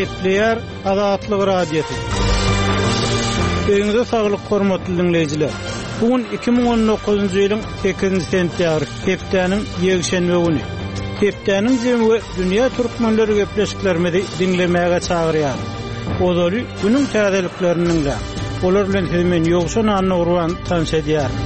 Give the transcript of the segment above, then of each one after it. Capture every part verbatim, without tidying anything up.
Gepleýär Azatlyk Radiosy. Öýüňize saglyk hormatly diňleýjiler. Bu gün iki müň on dokuzynjy ýylyň sekizinji sentýabry, hepdäniň ýekşenbe güni. Hepdäniň jemi we dünýä türkmenleri gepleşiklerimizi diňlemäge çagyrýar. Ozaly günüň täzeliklerini diňläň. Olar bilen sizi men Ýowşan Annagurban tanyş edýärin.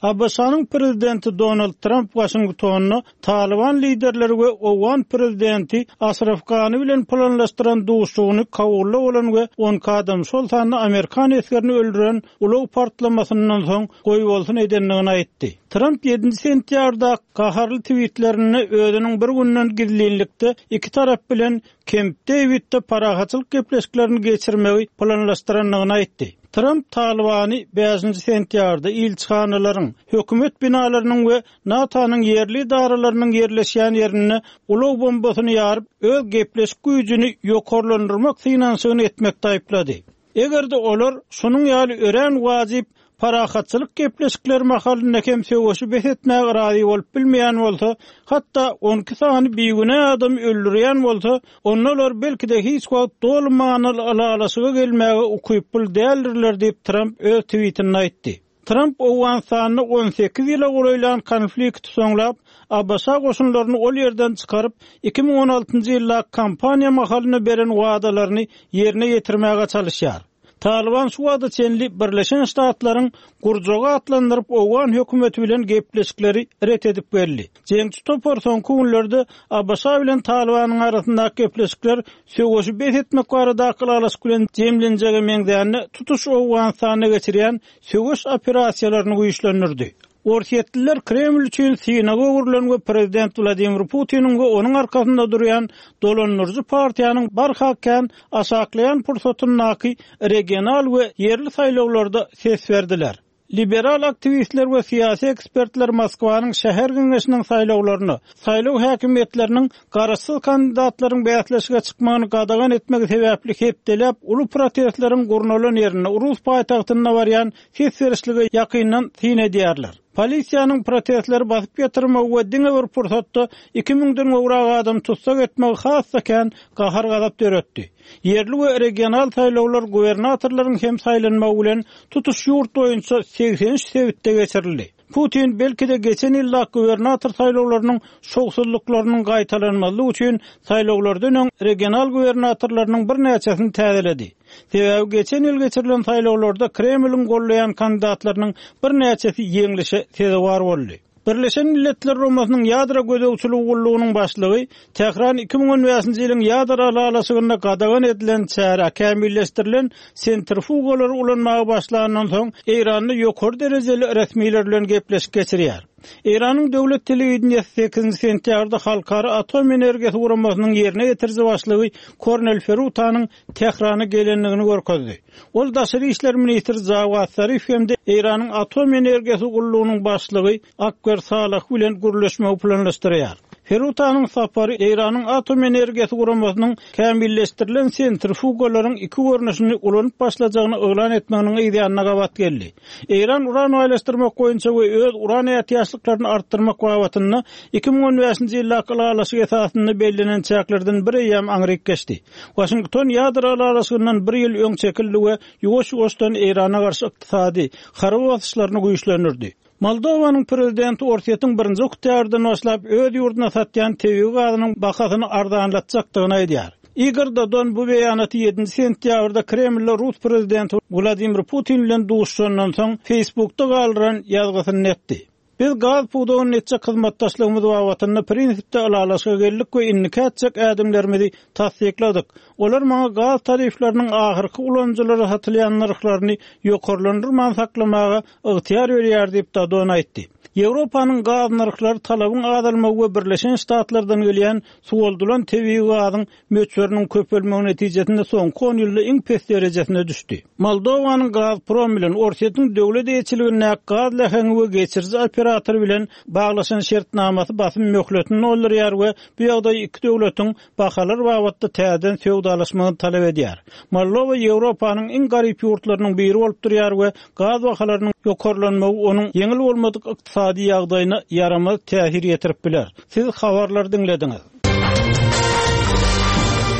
A B Ş-nyň prezidenti Donald Trump Washingtonda Taliban liderleri we Owgan prezidenti Ashraf Ghani bilen planlaşdyran duşuşygyny Kabulda bolan we on adam şol sanda Amerikan esgerini öldüren ulag partlamasyndan soň goýbolsun edendigini aýtdy. Trump ýedinji sentýabrda gaharly tweetlerinde özüniň bir günden gizlinlikde iki tarap bilen Camp Davidde parahatçylyk gepleşiklerini geçirmegi planlaşdyrandygyny aýtdy. Trump Talibany bäşinji sentýabrda ilçihanalaryň, hökümet binalarynyň we NATO-nyň ýerli idaralarynyň ýerleşýän ýerinde ulag bombasyny ýaryp, öz gepleşik güýjüni ýokarlandyrmak synanyşygyny etmekde aýyplady. Eger-de olar şunuň ýaly örän wajyp parahatçylyk gepleşikleri mahalynda hem söweşi bes etmäge razy bolup bilmeýän bolsa, hatda on iki sany bigünä adam öldürýän bolsa, onda olar belki-de hiç wagt doly manyly ylalaşyga gelmäge ukyply däldirler diýip Trump öz tweetinde aýtdy. Trump Owganystanda on sekiz ýyla golaýlan konflikti soňlap, A B Ş goşunlaryny ol ýerden çykaryp, iki müň on altynjy ýylda kampaniýa mahalynda beren wadalaryny ýerine ýetirmäge çalışýar. Taliban şu wada çenli Birleşen Ştatlaryň gurjagy atlandyryp Owgan hökümeti bilen gepleşikleri ret edip geldi. Jeňçi topar soňky günlerde A B Ş bilen Talibanyň arasyndaky gepleşikler söweşi bes etmek baradaky ylalaşyk bilen jemlenjege meňzände tutuş Owganystanda geçirýän söweş operasiýalaryny güýçlendirdi. Orsýetliler Kreml üçin synaga öwrülen we prezident Wladimir Putiniň we onuň arkasynda durýan dolandyryjy partiýanyň barha kän aşaklaýan pursatyndaky regional we ýerli saýlawlarda ses berdiler. Liberal aktiwistler we syýasy ekspertler Moskwanyň şäher geňeşiniň saýlawlaryny, saýlaw häkimiýetleriniň garaşsyz kandidatlaryň bäsleşige çykmagyny gadagan etmegi sebäpli hepdeläp uly protestleriň gurnalan ýerinde Rus paýtagtynda barýan ses berişlige ýakyndan syn edýärler. Polisiýanyň protestleri basyp ýatyrmagy we diňe bir pursatda iki müňden gowrak adam tutsak etmegi has-da kän gahar-gazap döretdi. Ýerli we regional saýlawlar gubernatorlaryň hem saýlanmagy bilen tutuş ýurt boýunça segsen üç sebitde geçirildi. Putin belki-de geçen ýylda gubernator saýlawlarynyň şowsuzlyklarynyň gaýtalanmazlygy üçin saýlawlardan öň regional gubernatorlarynyň birnäçesini täzeledi. Sebäbi geçen ýyl geçirilen saýlawlarda Kremliň gollaýan kandidatlarynyň birnäçesi ýeňlişe sezewar boldy. Birleşen Milletler Guramasynyň ýadro gözegçiligi gullugynyň başlygy Tähran iki müň on bäşinji ýylyň ýadro ylalaşygynda gadagan edilen çäre kämilleşdirilen sentrifugalary ulanmaga başlandan soň Eýranda ýokary derejeli resmiler bilen gepleşik geçirýär. Eýranyň döwlet telewideniýesi sekizinji sentýabrda Halkara Atom Energiýasy Guramasynyň ýerine ýetiriji başlygy Kornel Ferutanyň Tährana gelendigini görkezdi. Ol daşary işler ministri Jawad Zarif hem-de Eýranyň Atom Energiýasy gullugynyň başlygy Akbar Salah bilen gürleşmegi planlaşdyrýar. Ferutanyň safary Eýranyň Atom Energiýasy Guramasynyň kämilleşdirilen sentrifugalaryň iki görnüşini ulanyp başlajagyny yglan etmeginiň yzýanyna gabat geldi. Eýran uran baýlaşdyrmak boýunça we öz uran ätiýaçlyklaryny artdyrmak babatynda iki müň on bäşinji ýyldaky ylalaşyk esasynda bellenen çäklerden bir eýýäm aňryk geçdi. Washington ýadro ylalaşygyndan bir ýyl öň çekildi we ýuwaş-ýuwaşdan Eýrana garşy ykdysady, harby basyşlaryny güýçlendirdi. Moldowanyň prezidenti Orsýetiň birinji oktýabrdan başlap öz ýurduna satýan tebigy gazynyň bahasyny arzanlatjakdygyny aýdýar. Igor Dodon bu beýanaty ýedinji sentýabrda Kremlde Rus prezidenti Wladimir Putin bilen duşuşandan soň Facebookda galdyran ýazgysyny etdi. Biz gaz pudagyny etjek hyzmatdaşlygymyz babatynda prinsipde ylalaşyga geldik we indiki etjek ädimlerimizi tassykladyk. Olar maňa gaz tarifleriniň ahyrky ulanyjylara satylýan nyrhlaryny ýokarlandyrman saklamaga ygtyýar berýär diýip Dodon aýtdy. Ýewropanyň gaz nyrhlary talabyň azalmagy we Birleşen Ştatlardan gelýän suwaldylan tebigy gazyň möçberiniň köpelmegi netijesinde soňky on ýylda iň pes derejesine düşdi. Moldowanyň Gazprom bilen Orsýetiň döwlet eýeçiligindäki gaz läheňi we geçiriji operatory bilen baglaşan şertnamasy basym möhletini doldurýar we bu ýagdaý iki döwletiň bahalar babatda täzeden söwdalaşmagyny talap edýär. Moldowa Ýewropanyň iň garyp ýurtlarynyň biri bolup durýar we gaz bahalarynyň ýokarlanmagy onuň ýeňil bolmadyk ykdysady ýagdaýyna ýaramaz täsir ýetirip biler. Siz habarlary diňlediňiz.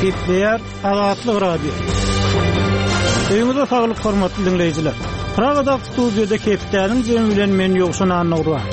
Gepleýär Azatlyk Radiosy. Öýüňize saglyk hormatly diňleýjiler. Pragadaky studiýada hepdäniň jemi bilen men Ýowşan Annagurban.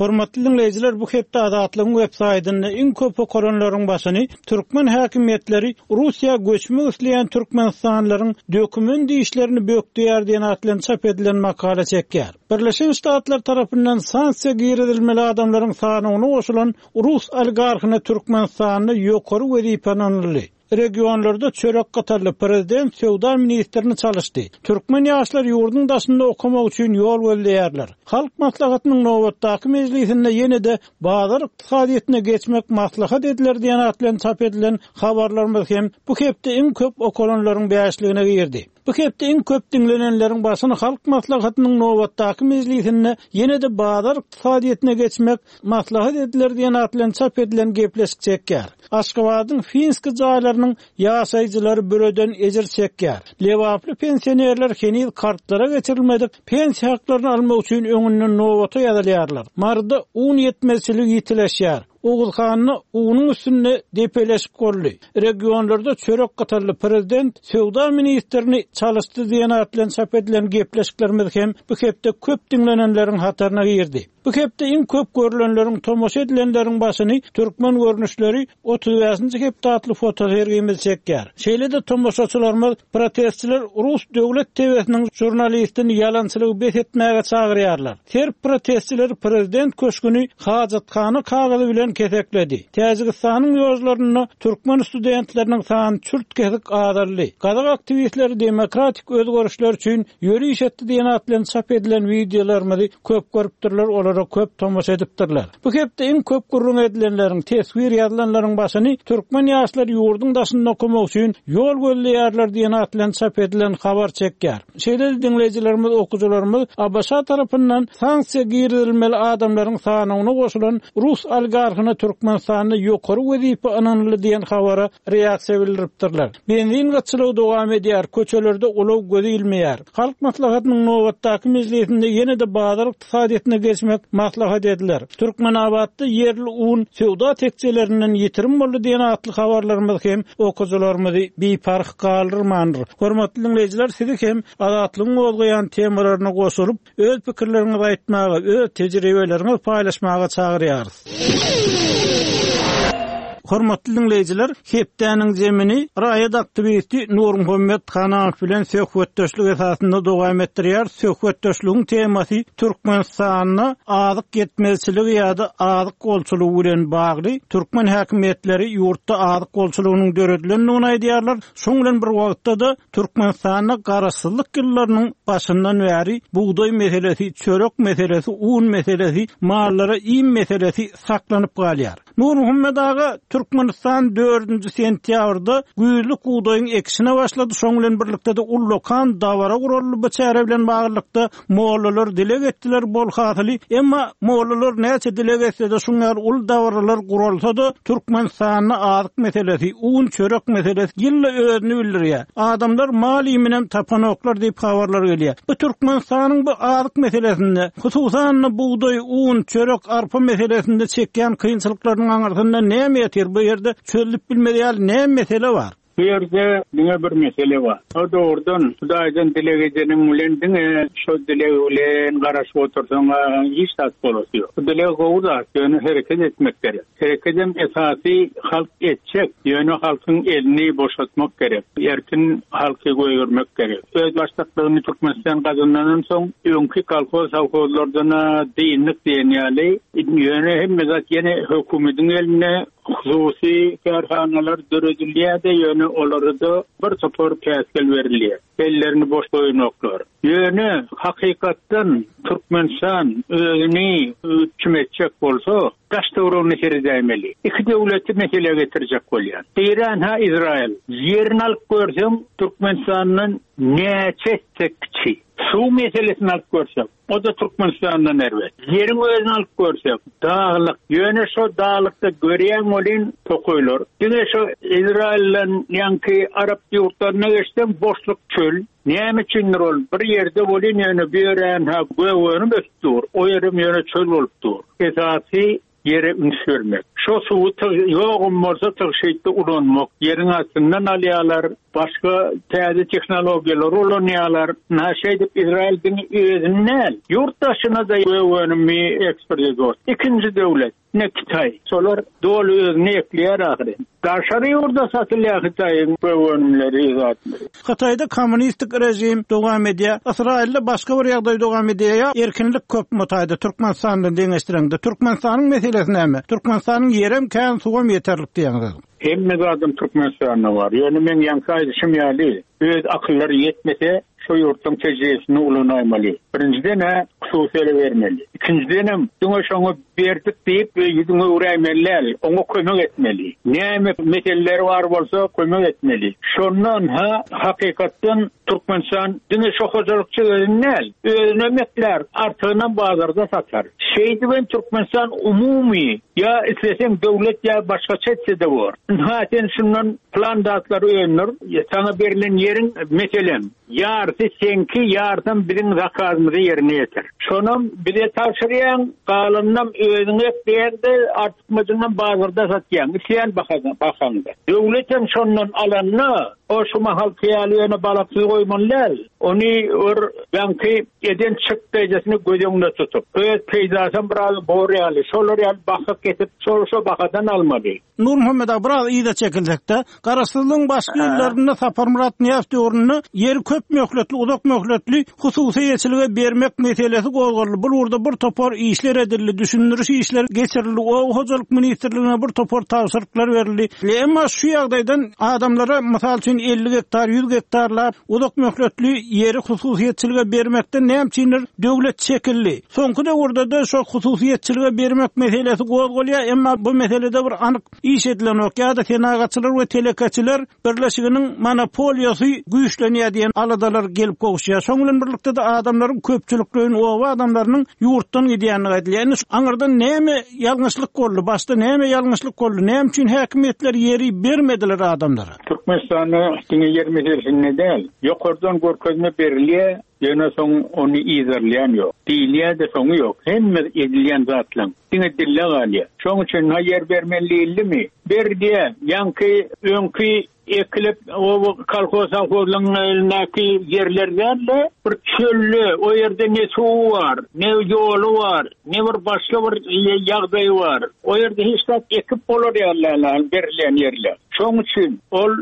Hormatly diňleýjiler, bu hepde Azatlygyň web saýtynda iň köp okalanlaryň başyny türkmen häkimiýetleri Russiýa göçmek isleýän türkmenistanlylaryň dokument işlerini bökdeýär diýen at bilen çap edilen makala çekýär. Birleşen Ştatlar tarapyndan sanksiýa girizilmeli adamlaryň sanyna goşulan rus oligarhyna Türkmenistanda ýokary wezipe ynanyldy. Regionlarda çörek gatarly prezident söwda ministrini çalyşdy. Türkmen ýaşlar ýurduň daşynda okamak üçin ýol gözleýärler. Halk maslahatynyň nobatdaky mejlisinde ýene-de bazar ykdysadyýetine geçmek maslahat ediler diýen at bilen çap edilen habarlarymyz hem bu hepde iň köp okalanlaryň bäşligine girdi. Bu hepde iň köp diňlenenleriň başyny Halk maslahatynyň nobatdaky mejlisinde ýene-de bazar ykdysadyýetine geçmek maslahat ediler diýen at bilen çap edilen gepleşik çekýär. Aşgabadyň Finski jaýlarynyň ýaşaýjylary büreden ejir çekýär. Lebaply pensionerler heniz kartlara geçirilmedik pensiýa haklaryny almak üçin öňünden nobata ýazylýarlar. Maryda un ýetmezçiligi ýitileşýär. Oguzhanda unuň üstünde depeleşik boldy. Regionlarda çörek gatarly prezident söwda ministrini çalyşdy diýen at bilen çap edilen gepleşiklerimiz hem bu hepde köp diňlenenleriň hataryna girdi. Bu hepde iň köp görülenleriň tomaşa edilenleriň başyny türkmen görnüşleri otuz bäşinji hepde atly fotosergimiz çekýär. Şeýle-de tomaşaçylarymyz protestçiler Rus döwlet T V-siniň žurnalistini ýalançylygy bes etmäge çagyrýarlar. Serb protestçileri prezident köşgüni hajathana kagyzy bilen kesekledi. Täjigistanyň ýollarynda türkmen studentleriniň sany çürt kesik azaldy. Gazak aktiwistleri demokratik özgerişler üçin ýöriş etdi diýen at bilen çap edilen wideolarymyzy köp görüpdirler, olara köp tomaşa edipdirler. Bu hepde iň köp gürrüň edilenleriň, teswir ýazylanlaryň başyny türkmen ýaşlary ýurduň daşynda okamak üçin ýol gözleýärler diýen at bilen çap edilen habar çekýär. Şeýle-de diňleýjilerimiz, okyjylarymyz A B Ş tarapyndan sanksiýa girizilmeli adamlaryň sanyna goşulan rus oligarhyna Türkmenistanda ýokary wezipe ynanyldy diýen habara reaksiýa bildiripdirler. Benzin gytçylygy dowam edýär, köçelerde ulag gözi ilmeýär. Halk maslahatynyň nobatdaky mejlisinde ýene-de bazar ykdysadyýetine geçmek maslahat ediler. Türkmenabatda ýerli un söwda tekjelerinden ýitirim boldy diýen atly habarlarymyz hem okyjylarymyzy biparh galdyrmandyr. Hormatly diňleýjiler, sizi hem Azatlygyň gozgaýan temalaryna goşulyp, öz pikirleriňizi aýtmaga, öz tejribeleriňizi paýlaşmaga çagyrýarys. Hormatly diňleýjiler, hepdäniň zemini raýat aktiwisti Nurmuhammet Hanamow bilen söhbetdeşlik esasynda dowam etdirýär. Söhbetdeşligiň temasy Türkmenistanda azyk ýetmezçiligi ýa-da azyk bolçulygy bilen bagly. Türkmen häkimiýetleri ýurtda azyk bolçulygynyň döredilendigini aýdýarlar. Şoň bilen bir wagtda-da Türkmenistanda garaşsyzlyk ýyllarynyň başyndan bäri bugdaý meselesi, çörek meselesi, un meselesi, mallara iým meselesi saklanyp galýar. Nurmuhammet aga, Türkmenistan dördünji sentýabrda güýzlük bugdaýyň ekişine başlady. Şoň bilen birlikde de ullakan dabara guraldy. Bu çäre bilen baglylykda mollalar dileg etdiler bol hasyly. Emma mollalar näçe dileg etse-de şoň ýaly ul dabaralar guralsa-da Türkmenistanda azyk meselesi, un çörek meselesi ýylla özüni bildirýär. Adamlar mal iýminem tapanoklar diýip habarlar gelýär. Bu Türkmenistanyň bu azyk meselesinde, hususan-da bugdaý, un, çörek, arpa meselesinde çekýän kynçylyklarynyň aňyrsynda näme ýatyr? Bu ýerde çözülip bilmez ýaly näme mesele bar? Bu ýerde diňe bir mesele bar. O doğrudan Hudaýdan dileg edeniň bilen diňe şo dileg bilen garaşyp otursaň hiç zat bolasy ýok. Bu dileg gowy zat, ýöne hereket etmek gerek. Hereketem esasy halk etjek, ýöne halkyň elini boşatmak gerek. Erkin halky goýurmak gerek. Öz başlyklygyny Türkmenistan gazanandan soň öňki kolhoz sowhozlardan dinlik diýen ýaly, ýöne hemme zat ýene hökümetiň eline, hususy kärhanalar döredilýär-de, ýöne olara da bir topar päsgel berilýär. Ellerini boş goýmaklar. Ýöne hakykatdan Türkmenistan özüni üpjün etjek bolsa, daş töweregini seredäýmeli. Iki döwleti mesele getirjek bolýar. Iran ha Izrail. Ýerini alyp görseň Türkmenistandan näçe etse kiçi. Suw meselesini alyp görsek, o da Türkmenistandan erbet. Ýeriň özüni alyp görsek, daglyk. Ýöne şo daglykda görýän bolýan tokaýlar. Diňe şo Izrailden ýaňky Arap ýurtlaryna geçsem boşluk çöl. Näme üçindir ol bir ýerde bolýan ýöne bir ýerän ha gögönüp ösüp dur. O ýerim ýöne çöl bolup dur. Esasy ýere üns bermek. Şo suwy ýogum bolsa tygşytly ulanmak. Ýeriň astyndan alýarlar, başga täze tehnologiýalar ulanýarlar. Na şeýdip Izrail diňe özüni däl, ýurt daşyna da önümi eksport ediyor. Ikinji döwlet ne Hytaý. Şolar doly özüni ekleýär ahyry. Daşary ýurda satylýar Hytaýyň önümleri zatlary. Hytaýda kommunistik rejim dowam edýär. Ysraýylda başga bir ýagdaý dowam edýär. Erkinlik köp mutaýda Türkmenistandan deňeşdireňde. Türkmenistanyň meselesi näme? Türkmenistanyň ýerem kän, suwam ýeterlik diýýäňiz. Hemme zadym Türkmenistanda bar. Ýöne men ýaňky aýdyşym ýaly, öz akyllary ýetmese, şu ýurtdan tejribesini ulanmaly. Birinjiden ha hususy bermeli. Ikinjiden hem diňe şoňa berdik diýip ýüzüňe öwräýmeli, oňa kömek etmeli. Näme meseleler bar bolsa kömek etmeli. Şondan ha hakykatdan Türkmenistan diňe şu hojalykçy däl, özüne mekler, artygyny bazarda satar. Şeýdiben Türkmenistan umumy ýa islesen döwlet ýa başga çetse de bor. Ha sen şundan plan datlary öndür, sana berilen ýeriň meselem ýarysy seňki, ýarysam biziň zakazymyzy ýerine ýetir. Şonam bize tabşyrýan, galanynam özüň ekleýän-de, artykmajyndan bazarda satýan, isleýän bahaňda. Döwlet hem şondan alanyna, o şu mahal hyýaly ýöne balaksyz goýmaly däl. Ony bir ýaňky eden çykdaýjasyny göz öňünde tutup, öz peýdasyn biraz bor ýaly, şolar ýaly baha kesip, şol şo bahadan almaly. Nurmuhammet aga biraz yza çekilsekde, Garaşsyzlygyň başky ýyllarynda Saparmyrat Nyýazow döwründe ýeri köp möhletli, uzak möhletli hususy eýeçilige bermek meselesi gozgaldy. Bu ugurda bir topar işler edildi, düşündiriş işleri geçirildi. Oba hojalyk ministrligine bir topar tabşyryklar berildi. Emma şu ýagdaýdan adamlara mysal üçin elli gektar, ýüz gektarlap uzak möhletli ýeri hususyýetçilige bermekden näme üçindir döwlet çekildi. Soňky döwürde de şu hususyýetçilige bermek meselesi gozgalýar, emma bu meselede bir anyk iş edilenok ýa-da senagatçylar we telekeçiler birleşiginiň monopoliýasy güýçlenýär diýen aladalar gelip gowuşýar. Şoň bilen birlikde de adamlaryň köpçülikleýin oba adamlarynyň ýurtdan gidýänligi aýdylýar. Indi şu aňyrdan näme ýalňyşlyk boldy? Başda näme ýalňyşlyk boldy? Näme üçin häkimiýetler ýeri bermediler adamlara? Türkmenistanda diňe ýer meselesinde däl, ýokardan görkezme berilýär, ýöne soň ony izerleýän ýok. Diýilýär de soňy ýok. Hemme edilýän zatlaryň diňe dille galýar. Şoň üçin ha ýer bermeli diýildimi? Ber diýe, ýaňky öňki ekilip o kolhoz sowhozlaryň elindäki ýerler däl-de, bir çölle, o ýerde ne suw bar, ne ýoly bar, ne bir başga bir ýagdaýy bar. O ýerde hiç zat ekip bolar ýaly berilýän ýerler. Şoň üçin ol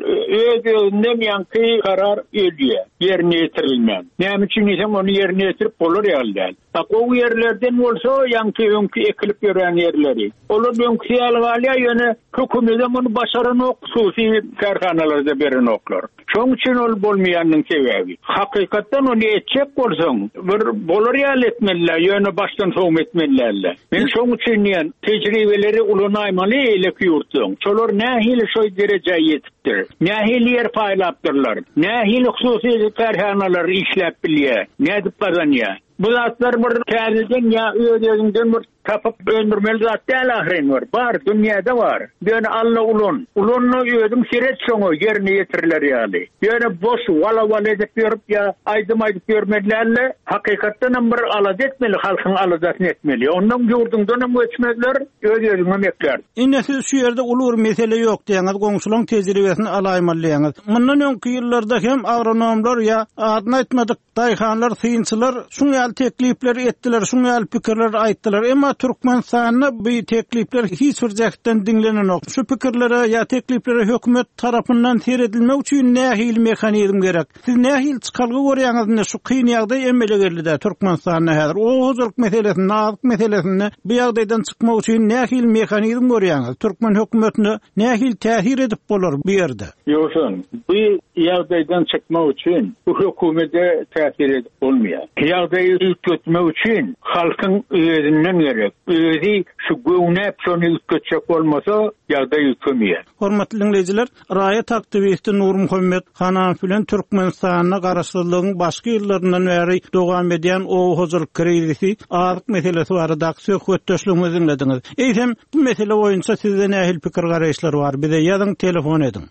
öz-özünden ýaňky karar ölýär, ýerine ýetirilmän. Näme üçin diýsem ony ýerine ýetirip bolar ýaly däl. Ha gowy ýerlerden bolsa ýaňky öňki ekilip ýören ýerleri. Olar öňki ýaly galýar, ýöne hökümet ony başaranok, hususy kärhanalarda berenoklar. Şoň üçin ol bolmaýanyň sebäbi. Hakykatdan ony etjek bolsaň, bir bolar ýaly etmeliler, ýöne başdan soň etmeliler. Men şoň üçin diýen tejribeleri ulanaýmaly eýleki ýurtlaryň. Şolar nähili şo derejä ýetipdir? Nähili ýer paýlapdyrlar? Nähili hususy kärhanalar işläp bilýär? Nädip gazanýar? Bu zatlar bir täzeden ýa öz-özüňden bir tapyp öndürmeli zat däl ahyryn var. Bar, dünýäde bar. Ýöne alla ulan. Ulanny özüň seret şoňa ýerine ýetiriler ýaly. Ýöne boş wala-wala edip ýörüp ýa aýdym aýdyp ýörmelilerle hakykatdan hem bir alada etmeli, halkyň aladasyny etmeli. Ondan ýurduňdan hem göçmezler, öz-özüňe mekler. Indi siz şu ýerde uly bir mesele ýok diýeňiz, goňşularyň tejribesini alaýmaly diýeňiz. Mundan öňki ýyllarda hem agronomlar ýa adyny aýtmadyk daýhanlar, synçylar şuň ýaly teklipleri etdiler, şuň ýaly pikirleri aýtdylar. Emma Türkmenistanda bu teklipler hiç bir jähtden diňlenenok. Şu pikirlere ýa tekliplere hökümet tarapyndan seredilmek üçin nähili mehanizm gerek? Siz nähili çykalga görýäňiz indi şu kyn ýagdaý emele geldi Türkmenistanda häzir? Oba hojalyk meselesinde, azyk meselesinde bu ýagdaýdan çykmak üçin nähili mehanizm görýäňiz? Türkmen hökümetine nähili täsir edip bolar bu ýerde? Ýogsa, bu ýagdaýdan çykmak üçin bu hökümete täsir edip bolmaýar. Ýagdaýy üýtgetmek üçin halkyň özünden gerek. Özi şu göwnäp şony üýtgetjek bolmasa, ýagdaý üýtgemeýär. Hormatly dinleýjiler, raýat aktiwisti Nurmuhammet Hananow bilen Türkmenistanda garaşsyzlygyň başky ýyllaryndan bäri dowam edýän oba hojalyk krizisi, azyk meselesi baradaky söhbetdeşligimizi dinlediňiz. Eýsem, bu mesele boýunça sizde nähili pikir garaýyşlar bar? Bize ýazyň, telefon ediň.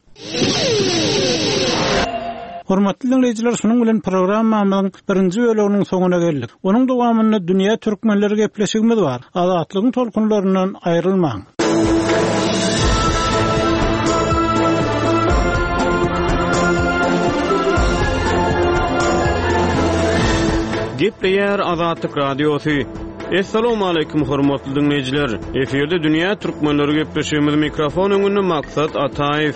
Hormatly dinleýjiler, şunuň bilen programmamyzyň birinji bölüminiň soňuna geldik. Onuň dowamynda dünýä türkmenleri gepleşigimiz bar. Azatlygyň tolkunlaryndan aýrylmaň. Gepleýär Azatlyk Radiosy. Essalamu aleýkum hormatly dinleýjiler. Efirde Dünýä Türkmenleri gepleşigimiz mikrofon öňünde Maksat Ataýew.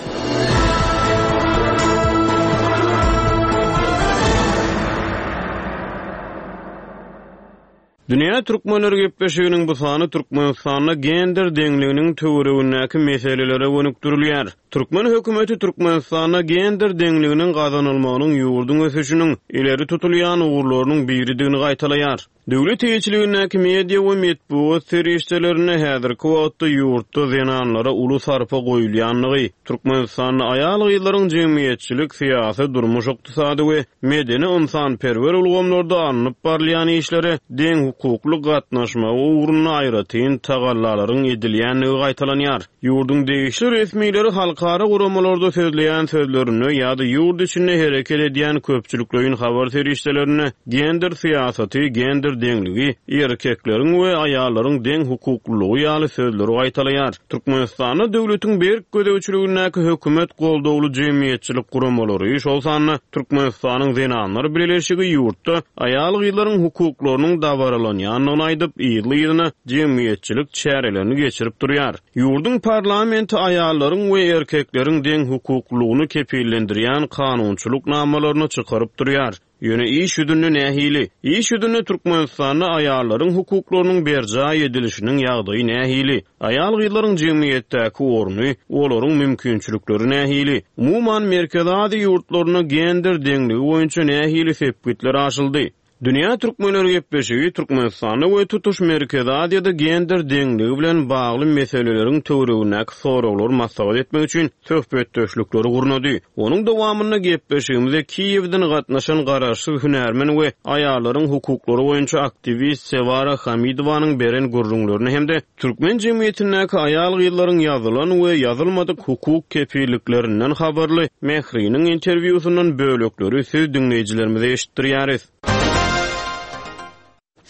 Dünýä Türkmenleri gepleşiginiň bu sany Türkmenistanda gender deňliginiň töweregindäki meselelere gönükdirilýär. Türkmen hökümeti Türkmenistanda gender deňliginiň gazanylmagynyň ýurduň ösüşiniň ileri tutulýan ugurlarynyň biridigini gaýtalaýar. Döwlet eýeçiligindäki media we metbugat serişdelerinde häzirki wagtda ýurtda zenanlara uly sarpa goýulýanlygy, Türkmenistanda aýal-gyzlaryň jemgyýetçilik, syýasy, durmuş, ykdysady we medeni ynsanperwer ulgamlarda alnyp barylýan işlere deň hukukly gatnaşmagy ugrunda aýratyn tagallalaryň edilýänligi gaýtalanýar. Ýurduň degişli resmileri halkara guramalarda sözleýän sözlerinde ýa-da ýurt içinde hereket edýän köpçülikleýin habar serişdelerinde gender syýasaty, gender deňligi, erkekleriň we aýallaryň deň hukuklylygy ýaly sözleri gaýtalaýar. Türkmenistanda döwletiň berk gözegçiligindäki hökümet goldawly jemgyýetçilik guramalary, şol sanda Türkmenistanyň zenanlar birleşigi ýurtda aýal-gyzlaryň hukuklarynyň dabaralanýandygyny aýdyp, ýyly-ýylyna jemgyýetçilik çärelerini geçirip durýar. Ýurduň parlamenti aýallaryň we erkekleriň deň hukuklylygyny kepillendirýän kanunçylyk namalaryny çykaryp durýar. Ýöne iş ýüzünde nähili? Iş ýüzünde Türkmenistanda aýallaryň hukuklarynyň berjaý edilişiniň ýagdaýy nähili? Aýal-gyzlaryň jemgyýetdäki orny, olaryň mümkinçilikleri nähili? Umuman Merkezi Aziýa ýurtlarynda gender deňligi boýunça nähili sepgitler aşyldy? Dünýä Türkmenleri gepleşigi Türkmenistanda we tutuş Merkezi Aziýada gender deňligi bilen bagly meseleleriň töweregindäki soraglary maslahat etmek üçin söhbetdeşlikleri gurnady. Onuň dowamynda gepleşigimize Kiýewden gatnaşan garaşsyz hünärmen we aýallaryň hukuklary boýunça aktiwist Sewara Hamidowanyň beren gürrüňlerini hem-de türkmen jemgyýetindäki aýal-gyzlaryň ýazylan we ýazylmadyk hukuk kepilliklerinden habarly Mähriniň interwýusyndan bölekleri siz diňleýjilerimize eşitdirýäris.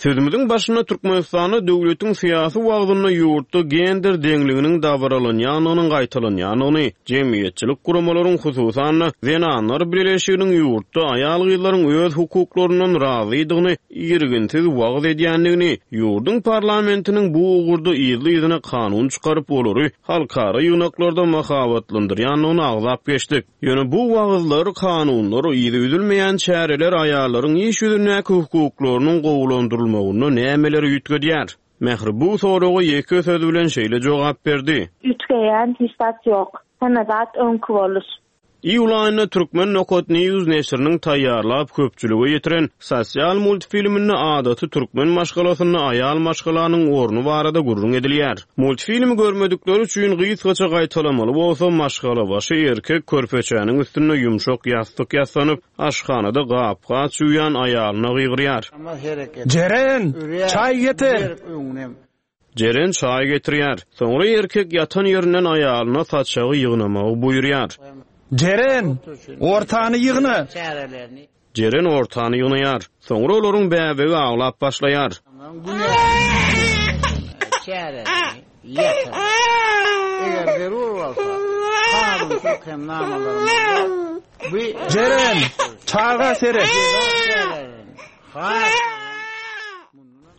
Sözümüzün başynda Türkmenistanda döwletiň syýasy wagtynda ýurtda gender deňliginiň dabaralanýandygynyň gaýtalanýandygyny, jemgyýetçilik guramalaryň hususan-da zenanlar birleşiginiň ýurtda aýal-gyzlaryň öz hukuklaryndan razydygyny irginsiz wagyz edýändigini, ýurduň parlamentiniň bu ugurda ýyly-ýylyna kanun çykaryp olary halkara ýygnaklarda mahabatlandyrýandygyny agzap geçdik. Ýöne bu wagyzlar, kanunlar, ýyly üzülmeýän çäreler aýallaryň iş ýüzündäki hukuklarynyň gowulandyrylmagyna nämeleri üýtgedýär? Mähri bu soraga ýeke söz bilen şeýle jogap berdi. Üýtgeýän hiç zat ýok. Hemme zat öňki boluş. Iýul aýynda Türkmen Nokat News neşiriniň taýýarlap köpçülige ýetiren sosial multfilminde adaty türkmen maşgalasynda aýal maşgalanyň orny barada gürrüň edilýär. Multfilmi görmedikler üçin gysgaça gaýtalamaly bolsa maşgalabaşy erkek körpeçäniň üstünde ýumşak ýassyk ýassanyp, aşhanada gap-gaç ýuwýan aýalyna gygyrýar. Jeren, çaý getir. Jeren çaý getirýär. Soňra erkek ýatan ýerinden aýalyna saçagy ýygnamagy buýurýar. Jeren, ortany ýygna. Jeren ortany ýygnaýar. Soňra olaryň bäbegi aglap başlaýar. Jeren, çaga seret.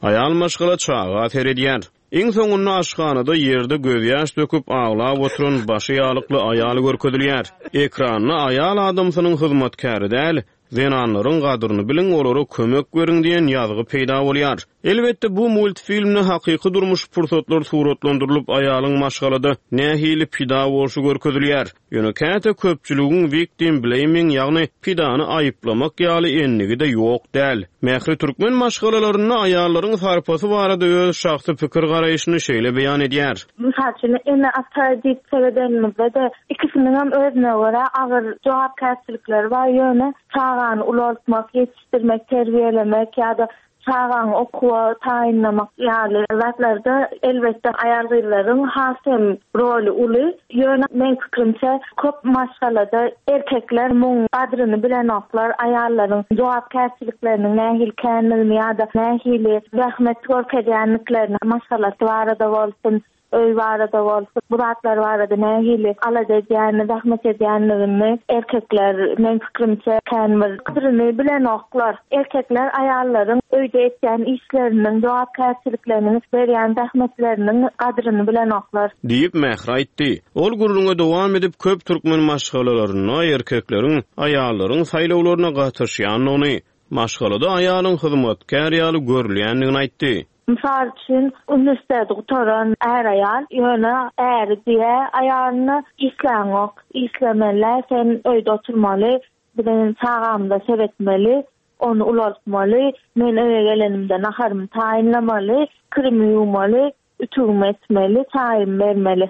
Aýal maşgala çaga seredýär. Iň soňunda aşhanada ýerde gözýaş döküp aglap oturan başy ýalykly aýal görkezilýär. Ekranda aýal adamsynyň hyzmatkäri däl, zenanlaryň gadryny biliň, olara kömek beriň diýen ýazgy peýda bolýar. Elbetde bu multfilmde hakyky durmuş pursatlar suratlandyrylyp aýalyň maşgalada nähili pida bolşy görkezilýär. Ýöne käte köpçüligiň victim blaming, ýagny pidany aýyplamak ýaly enligi-de ýok däl. Mähri türkmen maşgalalarynda aýallaryň sarpasy barada öz şahsy pikir garaýşyny şeýle beýan edýär. Mysal üçin, ene ata diýip seredenimizde-de ikisiniň hem özüne görä agyr jogapkärçilikleri bar. Ýöne çagany ulaltmak, ýetişdirmek, terbiýelemek ýa-da çagany okuwa taýynlamak ýaly zatlarda elbetde aýal-gyzlaryň has hem roly uly. Ýöne men pikrimçe köp maşgalada erkekler muň gadryny bilenoklar, aýallaryň jogapkärçilikleriniň nähili känligini ýa-da nähili zähmet görkezýänliklerini maşgalasy barada bolsun, öý barada bolsun, bu zatlar barada nähili alada edýänini, zähmet edýänligini erkekler meň pikirimçe kän bir gadyryny bilenoklar. Erkekler aýallaryň öýde etýän işleriniň, jogapkärçilikleriniň, berýän zähmetleriniň gadyryny bilenoklar. Diýip Mähri aýtdy. Ol gürrüňe dowam edip köp türkmen maşgalalarynda erkekleriň aýallaryň saýlawlaryna gatyşýandygyny, maşgalada aýalyň hyzmatkär ýaly görülýändigini aýtdy. Mysal üçin, uniwersiteti gutaran är aýal, ýöne äri diýe aýalyna işläňok, işlemeli, sen öýde oturmaly, biziň çagamyza seretmeli, ony ulaltmaly, men öýe gelenimde naharymy taýynlamaly, kirimi ýuwmaly, ütügimi etmeli, çaýymy bermeli.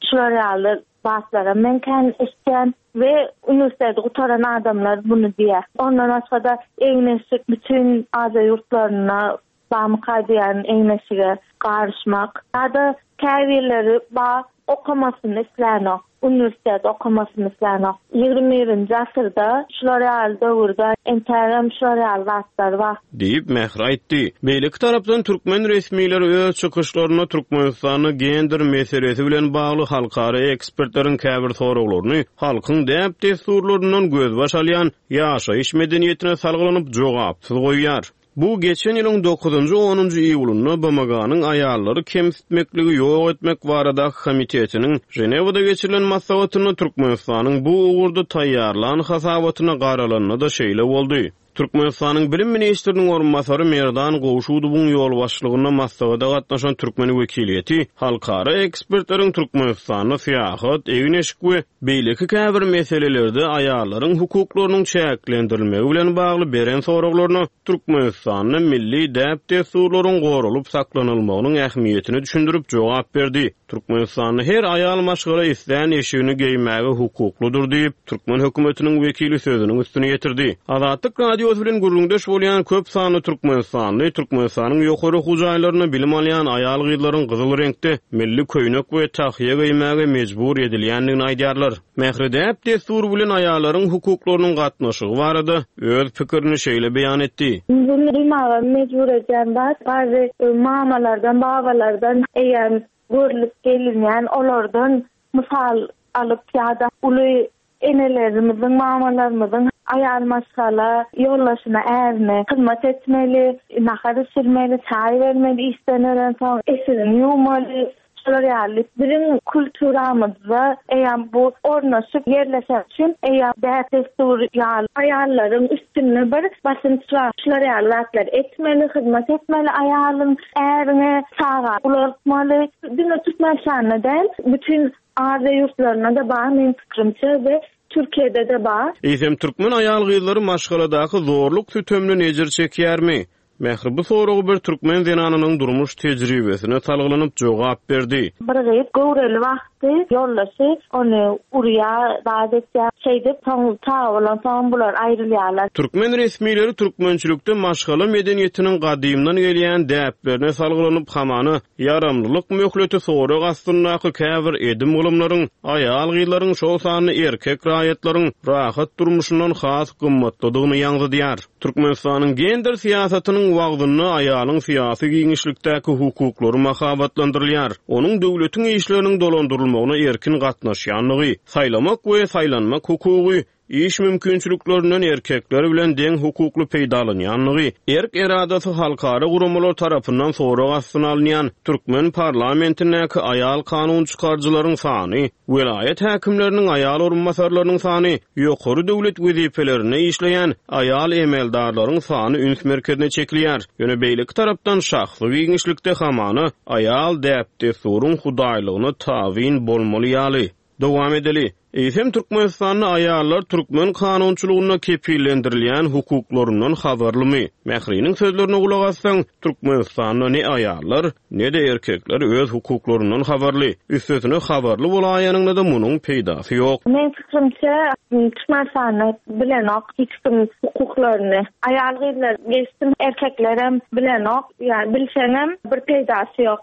Şular ýaly zatlara men kän eşitýän we uniwersiteti gutaran adamlar muny diýýär. Ondan başga-da egin-eşik bütün Aziýa ýurtlarynda bamyka diýen egin-eşige garyşmak. Ýa-da käbirleri ba okamasyny islänok, uniwersitet okamasyny islänok. Ýigrimi birinji asyrda şular ýaly döwürde entägem şular ýaly zatlar bar. Diýip Mähri aýtdy. Beýleki tarapdan türkmen resmileri öz çykyşlarynda Türkmenistanda gender meselesi bilen bagly halkara ekspertleriň käbir soraglaryny halkyň däp-dessurlaryndan gözbaş alýan ýaşaýyş medeniýetine salgylanyp jogapsyz goýýar. Bu geçen ýylyň dokuzynjy onunjy iýulynda B M G-nyň aýallary kemsitmekligi ýok etmek baradaky komitetiniň Ženewada geçirilen maslahatynda Türkmenistanyň bu ugurda taýýarlan hasabatyna garalanda-da şeýle boldy. Türkmenistanyň bilim ministriniň orunbasary Merdan Gowşudowyň ýolbaşçylygynda maslahata gatnaşan türkmen wekiliýeti halkara ekspertleriň Türkmenistanda syýahat, egin-eşik we beýleki käbir meselelerde aýallaryň hukuklarynyň çäklendirilmegi bilen bagly beren soraglaryna Türkmenistanda milli däp-dessurlaryň goralyp saklanylmagynyň ähmiýetini düşündirip jogap berdi. Türkmenistanda her aýal maşgala islän eşigini geýmäge hukuklydyr diýip, türkmen hökümetiniň wekili sözüniň üstüne ýetirdi. Azatlyk Radiosy bilen gürrüňdeş bolýan köp sanly Türkmenistanly Türkmenistanyň ýokary okuw jaýlarynda bilim alýan aýal gyzlaryň gyzyl reňkde milli köýnek we tahýa geýmäge mejbur edilýändigini aýdýarlar. Mähri däp-dessur bilen aýallaryň hukuklarynyň gatnaşygy barada öz pikirini şeýle beýan etdi. Bunu duýmaga mejbur edýän zat, bary mamalardan, babalardan eýem görlüp gelinýän olardan mysal alyp ýa-da uly enelerimiziň, mamalarymyzyň aýal maşgala ýoldaşyna ärine hyzmat etmeli, nahar bişirmeli, çaý bermeli, işden ölen soň eşigini ýuwmaly. Şular ýaly biziň kulturamyzda eýem bu ornaşyp ýerleşen üçin eýem däp-dessur ýaly aýallaryň üstünde bir basynç bar. Şular ýaly zatlar etmeli, hyzmat etmeli aýalyň ärine, çaga ulaltmaly. Diňe Türkmenistanda däl, bütün Aziýa ýurtlarynda da bar meň pikirimçe we Türkiýede de bar. Eýsem türkmen aýal gyzlary maşgaladaky zorluk sütemden ejir çekýärmi? Mähri bu soragy bir türkmen zenanynyň durmuş tejribesine salgylanyp jogap berdi. Bir gyz göwreli wagty ýoldaşy ony urýa zat etýär. Şeýdip soň çaga bolan soň bular aýrylýarlar. Türkmen resmileri türkmençilikde maşgala medeniýetiniň gadymdan gelýän däplerine salgylanyp hamana ýaramlylyk möhleti sorag astyndaky käbir edim gylymlaryň aýal gyzlaryň şol sanda erkek raýatlaryň rahat durmuşyndan has gymmatlydygyny ýaňzydýar. Türkmenistanyň gender syýasatynyň wagzynda aýalyň syýasy giňişlikdäki hukuklary mahabatlandyrylýar. Onuň döwletiň işleriniň dolandyrylmagyna erkin gatnaşýanlygy, saýlamak we saýlanmak hukugy, iş mümkinçiliklerinden erkekler bilen deň hukukly peýdalanýanlygy, erk eradasy halkara guramalar tarapyndan sorag astyna alynýan türkmen parlamentindäki aýal kanun çykaryjylaryň sany, welaýat häkimleriniň aýal orunbasarlarynyň sany, ýokary döwlet wezipelerinde işleýän aýal emeldarlaryň sany üns merkezine çekilýär. Ýöne beýleki tarapdan şahsy giňişlikde hamana aýal däp-dessuryň hudaýlygyna tabyn bolmaly ýaly. Dowam edeli. Eýsem Türkmenistanda aýallar türkmen kanunçylygynda kepillendirilýän hukuklaryndan habarlymy? Mähriniň sözlerine gulak assaň, Türkmenistanda ne aýallar, ne de erkekler öz hukuklaryndan habarly. Üstesine habarly bolaýanyňda-da munuň peýdasy ýok. Men pikirimçe Türkmenistanda bilenok hiç kim hukuklaryny. Aýal gyzlar geçsin, erkeklerem bilenok. Ýa bilseňem bir peýdasy ýok.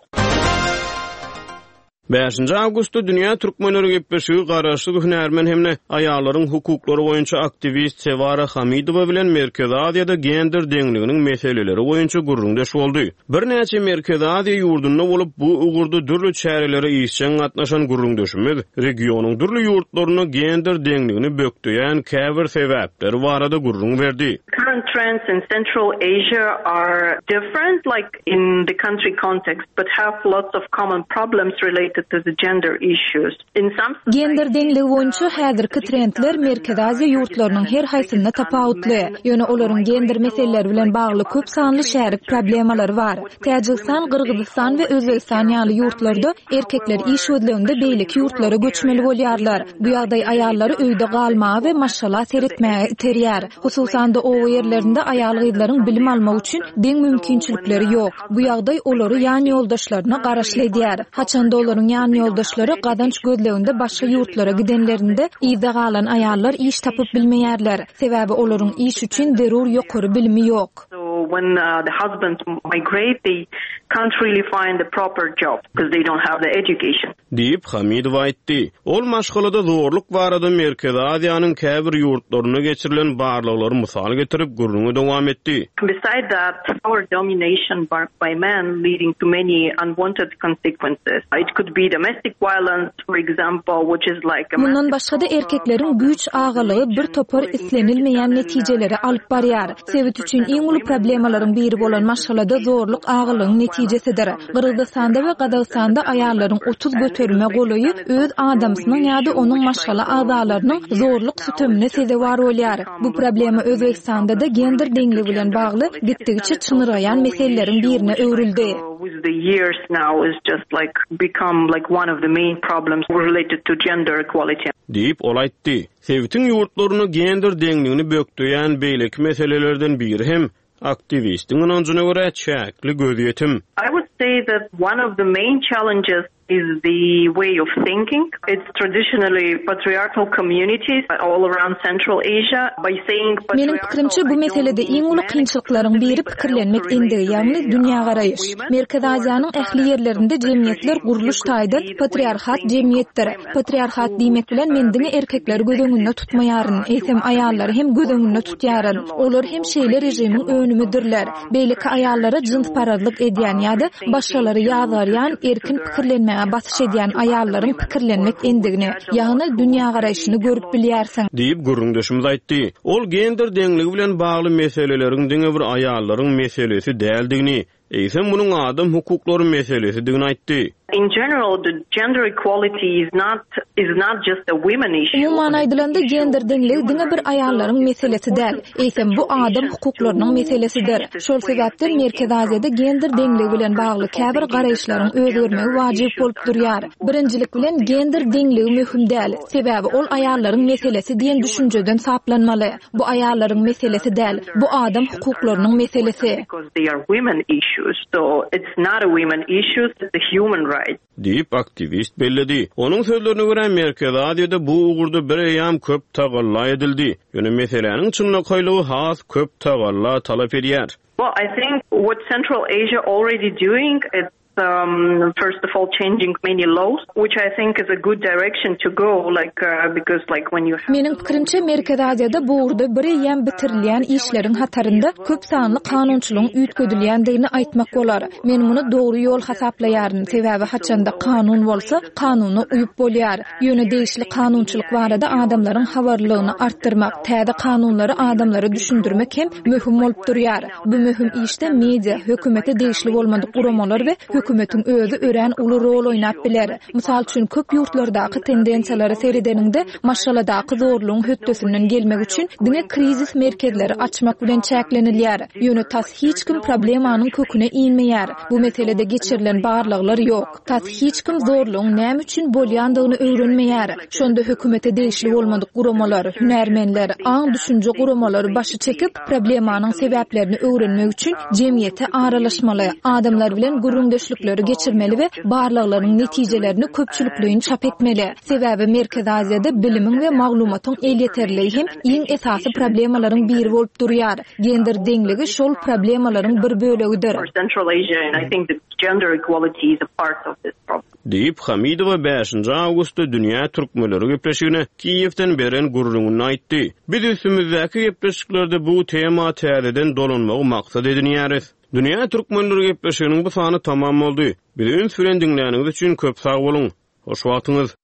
Bäşinji awgustda Dünýä türkmenleri gepleşigi garaşsyz hünärmen hem-de aýallaryň hukuklary boýunça aktiwist Sewara Hamidowa bilen Merkezi Aziýada gender deňliginiň meseleleri boýunça gürrüňdeş boldy. Birnäçe Merkezi Aziýa ýurdunda bolup, bu ugurda dürli çärelere işjeň gatnaşan gürrüňdeşimiz regionyň dürli ýurtlarynda gender deňligini bökdeýän käbir sebäpleri barada gürrüň berdi. Current trends in Central Asia are different, like in the country context, but have lots of common problems related to the gender issues. In some Gender deňligi boýunça häzirki trendler Merkezi Aziýa ýurtlarynyň her haýsynda tapawutly. Ýöne olaryň gender meseleleri bilen bagly köp sanly şärik problemalary bar. Täjigistan, Gyrgyzystan we Özbegistan ýaly ýurtlarda erkekler iş gözleginde beýleki ýurtlara göçmeli bolýarlar. Bu ýagdaý aýallary öýde galmaga we maşgala seretmäge iterýär. Hususan-da oba ýerlerinde aýal-gyzlaryň bilim almak üçin deň mümkinçilikleri ýok. Bu ýagdaý olary ýan ýoldaşlaryna garaşly edýär. Haçanda olaryň ýan ýoldaşlary gazanç gözleginde başga ýurtlara gidenlerinde yzda galan aýallar iş tapyp bilmeýärler. Sebäbi olaryň iş üçin zerur ýokary bilimi ýok. So when uh, the husbands migrate, they can't really find the proper job because they don't have the education. Diýip Hamidowa aýtdy. Ol maşgalada zorluk barada Merkezi Aziýanyň käbir ýurtlarynda geçirilen barlaglary mysal getirip gürrüňi dowam etdi. Beside that, power domination by, by men leading to many unwanted consequences. It could be domestic violence, for example, which is like a Mundan başga-da erkekleriň güýç agalygy bir topar islenilmeýän netijelere alyp barýar. Sebit üçin iň uly problemalaryň biri bolan maşgalada zorluk agalygyň netijesidir. Gyrgyzystanda we Gazagystanda aýallaryň otuz göterime golaýy öz adamsynyň ýa-da onuň maşgala agzalarynyň zorluk sütemine sezewar bolýar. Bu problema Özbegistanda da gender deňligi bilen bagly gitdigiçe çynyrgaýan meseleleriň birine öwrüldi. With the years now is just like become like one of the main problems related to gender equality. Diýip ol aýtdy. Sebitiň ýurtlaryny gender deňligini bökdeýän beýleki meselelerden biri hem aktiwistiň ynanjyna görä çäkli gözýetim. I would say that one of the main challenges is the way of thinking. It's traditionally patriarchal communities all around Central Asia. By saying Meniň pikirimçe bu meselede iň uly kynçylyklaryň biri pikirlenmek endigi, ýagny dünýägaraýyş. Merkezi Aziýanyň ähli ýerlerinde jemgyýetler gurluş taýdan patriarhat jemgyýetdir. Patriarhat diýmek bilen men diňe erkekleri göz öňünde tutmaýaryn, eýsem aýallary hem göz öňünde tutýaryn. Olar hem şeýle režimiň önümidirler. Beýleki aýallara jynsparazlyk edýän ýa-da başgalary ýazgarýan, erkin pikirlenmäge basyş edýän aýallaryň pikirlenmek endigini, ýagny dünýägaraýşyny görüp bilýärsiň. Diýip gürrüňdeşimiz aýtdy. Ol gender deňligi bilen bagly meseleleriň diňe bir aýallaryň meselesi däldigini, eýsem munuň adam hukuklary meselesidigini aýtdy. In general, the gender equality is not is not just a women issue. Umuman aýdylanda gender deňligi diňe bir aýallaryň meselesi däl, eýsem bu adam hukuklarynyň meselesidir. Şol sebäpden Merkezi Aziýada gender deňligi bilen bagly käbir garaýyşlaryň özgermegi wajyp bolup durýar. Birinjilik bilen gender deňligi möhüm däl, sebäbi ol aýallaryň meselesi diýen düşünjeden saplanmaly. Bu aýallaryň meselesi däl, bu adam hukuklarynyň meselesi. Because they are women issues. So it's not a women issue, it's a human right. Diýip aktiwist belledi. Onuň sözlerine görä Merkezi Aziýada bu ugurda bir eýýam köp tagalla edildi. Ýöne meseläniň çynlakaýlygy has köp tagalla talap edýär. Well, I think what Central Asia already doing is um, first of all changing many laws, which I think is a good direction to go, like, uh, because like when you have Meniň pikirimçe Merkezi Aziýada bu ugurda bir eýýam bitirilýän işleriň hatarynda köp sanly kanunçylygyň üýtgedilýändigini aýtmak bolar. Men muny dogry ýol hasaplaýaryn, sebäbi haçanda kanun bolsa, kanuna uýup bolýar. Ýöne degişli kanunçylyk barada adamlaryň habarlylygyny artdyrmak, täze kanunlary adamlara düşündirmek hem möhüm bolup durýar. Bu möhüm işde media, hökümete degişli bolmadyk guramalar we hökümetiň özi örän uly rol oýnap biler. Mysal üçin köp ýurtlardaky tendensiýalary seredeniňde maşgaladaky zorlugyň hötdesinden gelmek üçin diňe krizis merkezleri açmak bilen çäklenilýär. Ýöne tas hiç kim problemanyň köküne inmeýär. Bu meselede geçirilen barlaglar ýok. Tas hiç kim zorlugyň näme üçin bolýandygyny öwrenmeýär. Şonda hökümete degişli bolmadyk guramalar, hünärmenler, aň düşünje guramalary başy çekip problemanyň sebäplerini öwrenmek üçin jemgyýete aralaşmaly, adamlar bilen gürrüňdeşlikler gözegçilikleri geçirmeli we barlaglaryň netijelerini köpçülikleýin çap etmeli. Sebäbi Merkezi Aziýada bilimiň we maglumatyň elýeterliligi hem iň esasy problemalaryň biri bolup durýar. Gender deňligi şol problemalaryň bir bölegidir. Diýip, Hamidowa bäşinji awgustda Dünýä türkmenleri gepleşigine Kiýewden beren gürrüňinde aýtdy. Biz üstümizdäki gepleşiklerde bu tema täzeden dolanmagy maksat edinýäris. Dünýä türkmenleri gepleşiginiň bu sany tamam boldy. Bizi üns bilen diňläniňiz üçin köp sag boluň. Hoş wagtyňyz.